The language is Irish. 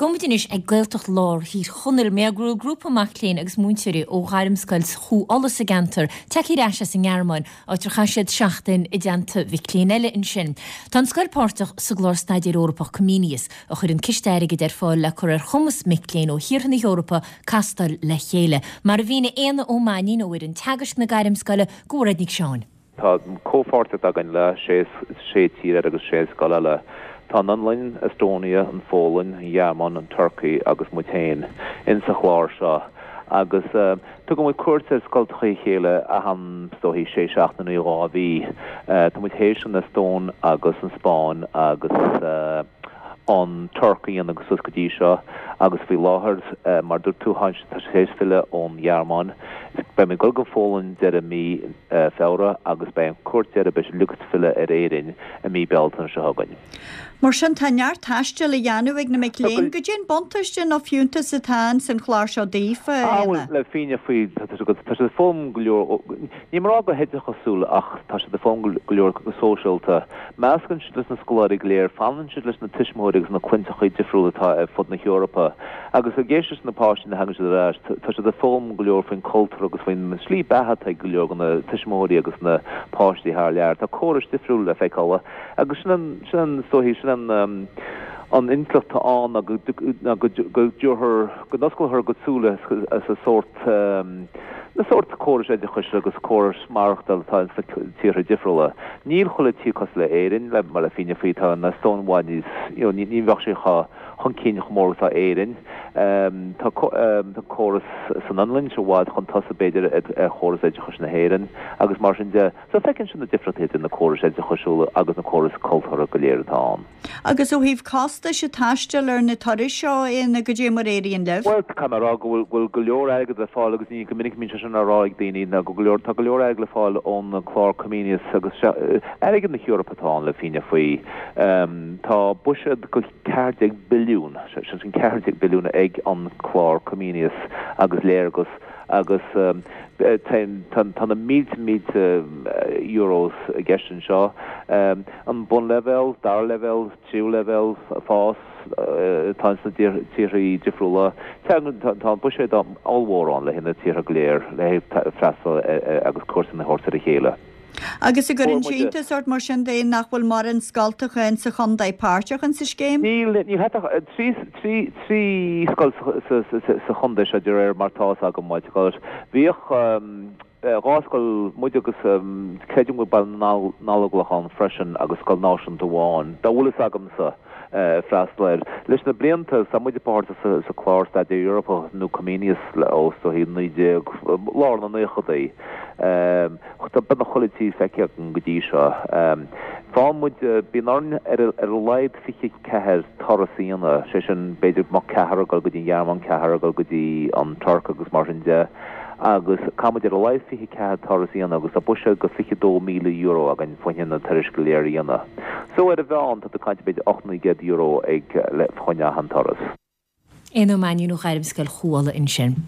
Gabhfaidh muid anois ag Gaeltacht Lár Thír Chonaill mar go bhfuil grúpa mac léinn agus múinteoirí ó Ghairmscoil Chú Uladh sa gceantar tagtha ar ais as an nGearmáin, áit ar chaith siad seachtain i dteannta mhic léinn eile ansin. Tá an scoil páirteach sa gclár staidéir Eorpach Comenius, a chuireann ciste airgid ar fáil le cur ar chumas mic léinn ó thíortha na hEorpa castáil le chéile. Mar a mhínigh Éanna Ó Mainnín ó fhoireann teagaisc na Gairmscoile do Mhairéad Nic Seáin. Tá comhpháirtíocht againn le sé tír agus sé scoil eile. Tá an Fhionlainn, Estonia, an Pholainn, an Ghearmáin, an Turcaí agus muid féin in sa chlár seo agus tugann muid cuairt ar scoltacha a chéile achan, is dóichí, sé seachtaine nó 2 mhí. Tá muid théis an Eastóin agus an Spáinn agus an Tuirc a dhéanamh suas go dtí seo agus faoi láthair, mar a dúirt tú, tá siad théis filleadh ón Ghearmáin. Beidh muid ag dul go Pholainn deireadh mí Feabhra agus beidh an cuairt deiridh, beidh siad uilig ag filleadh ar Éirinn i mí Bealtaine seo chugainn. Mar sin, tá neart taistil á dhéanamh ag na mic léinn. Goidé an buntáiste nó fiúntas atá ins an chlár seo daofa, a Éanna? Bhuel, le fírinne faoi, tá siad ag foghlaim go leor, ní mé a rá go hoideachasúil ach tá siad ag foghlaim go leor go sóisialta. Meascann siad leis na scoláirí go léir, fanann siad leis na tuismitheoirí agus na clainteachaí difriúla atá ar fud na hEorpa. Agus ag éisteacht leis na páistí nuair a thagann siad ar ais, tá siad ag foghlaim go leor faoin cultúr agus faoin slí beatha atá ag go leor de na tuismitheoirí agus na páistí thar lear. Tá córais difriúla le feiceáil agus sin an, sin an, is dóichí, sin an, an intleacht atá ann ná go, ná go, go dtabharfar, go n-osclófar a gcuid súile sa sórt, na sórt córais oideachais agus córais maireachtála atá ins na tíortha difriúla. Níl chuile tír cosúil le Éirinn, le, mar le fírinne faoi, tá an Eastóin i bhfad níos, you know, ní, ní bheadh sé chomh, chun cinn chomh mór agus atá Éirinn. Tá córas san Fhionlainn i bhfad chun tosaigh b'fhéidir ar chóras oideachais na hÉireann agus mar sin de. So feiceann siad na difríochtaí idir na córais oideachasúla agus na córais cultúrtha go léir atá ann. Agus ó thaobh costais ag taisteal ar na turais seo, a Éanna, goidé mar éiríonn libh? Bhuel, caithfidh mé a rá go bhfuil go bhfuil go leor airgead le fáil agus ní go minic a mbíonn sé sin á rá ag daoine ná go leor tá go leor airgead le fáil ón clár Comenius agus airgead na hEorpa atá ann le fírinne faoi. Tá buiséad go 14 billiún, sé sin 14 billiún ag an clár Comenius agus Léargas agus tá na mílte mílte euros i gceist anseo. An bunleibhéal, dara leibhéal, tríú leibhéal, fás atá ins na tíortha difriúla. Tá an buiséad ollmhór ann le haghaidh na tíortha go léir le haghaidh freastal agus cuairteanna a thabhairt ar a chéile. Agus an gcuireann sé iontas ort mar sin de nach bhfuil mórán scoltacha in sa chontae páirteach in sa scéim? Níl, níl ach 3 scoil sa chontae seo de réir mar tá fhios agam, what you call it. Bhíodh 2 scoil, muid agus creidim go bhfuil Baile na nGallóglach ann freisin agus scoil náisiúnta amháin, dá bhfuil fhios agamsa. freastal air. Leis na blianta, tá muide páirteach sa clár Staidéar Eorpach nó Comenius ó is dóichí 19, lár na naochadaí. Tá beagnach chuile tír feicthe againn go dtí seo. Faigheann muid, bíonn orainn ar a laghad 24 turas a dhéanamh, sé sin b'fhéidir go mbeadh ceathrar ag dul go dtí an Ghearmáin, ceathrar ag dul go dtí an Tuirc agus mar sin de. Agus caithfidh muid ar a laghad 24 turas a dhéanamh agus tá buiséad go €22,000 againn fá choinne na turais go léir a dhéanamh. So ar an mheán tá tú ag caint b'fhéidir €800, €900 ag le fá choinne achan turas. Éanna Ó Mainnín ó Ghairmscoil Chú Uladh ansin.